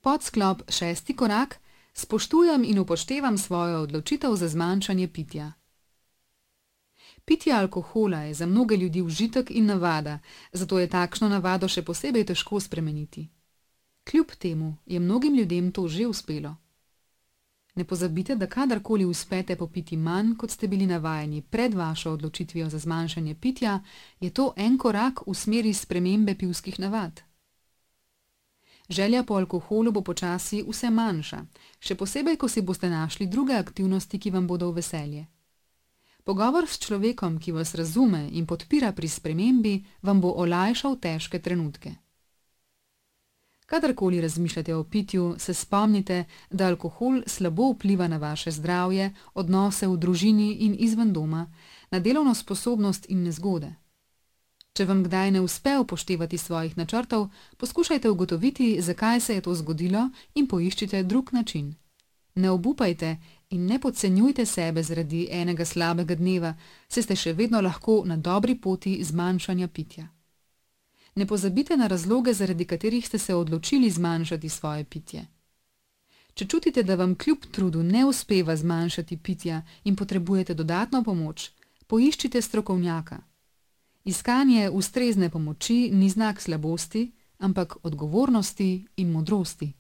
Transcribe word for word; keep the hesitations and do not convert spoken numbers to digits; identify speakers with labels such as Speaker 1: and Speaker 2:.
Speaker 1: Podsklop šesti korak: spoštujem in upoštevam svojo odločitev za zmanjšanje pitja. Pitje alkohola je za mnoge ljudi užitek in navada, zato je takšno navado še posebej težko spremeniti. Kljub temu je mnogim ljudem to že uspelo. Ne pozabite, da kadarkoli uspete popiti manj, kot ste bili navajeni pred vašo odločitvijo za zmanjšanje pitja, je to en korak v smeri spremembe pivskih navad. Želja po alkoholu bo počasi vse manjša, še posebej, ko si boste našli druge aktivnosti, ki vam bodo v veselje. Pogovor s človekom, ki vas razume in podpira pri spremembi, vam bo olajšal težke trenutke. Kadarkoli razmišljate o pitju, se spomnite, da alkohol slabo vpliva na vaše zdravje, odnose v družini in izven doma, na delovno sposobnost in nezgode. Če vam kdaj ne uspe upoštevati svojih načrtov, poskušajte ugotoviti, zakaj se je to zgodilo, in poiščite drug način. Ne obupajte in ne podcenjujte sebe zaradi enega slabega dneva, saj ste še vedno lahko na dobri poti zmanjšanja pitja. Ne pozabite na razloge, zaradi katerih ste se odločili zmanjšati svoje pitje. Če čutite, da vam kljub trudu ne uspeva zmanjšati pitja in potrebujete dodatno pomoč, poiščite strokovnjaka. Iskanje ustrezne pomoči ni znak slabosti, ampak odgovornosti in modrosti.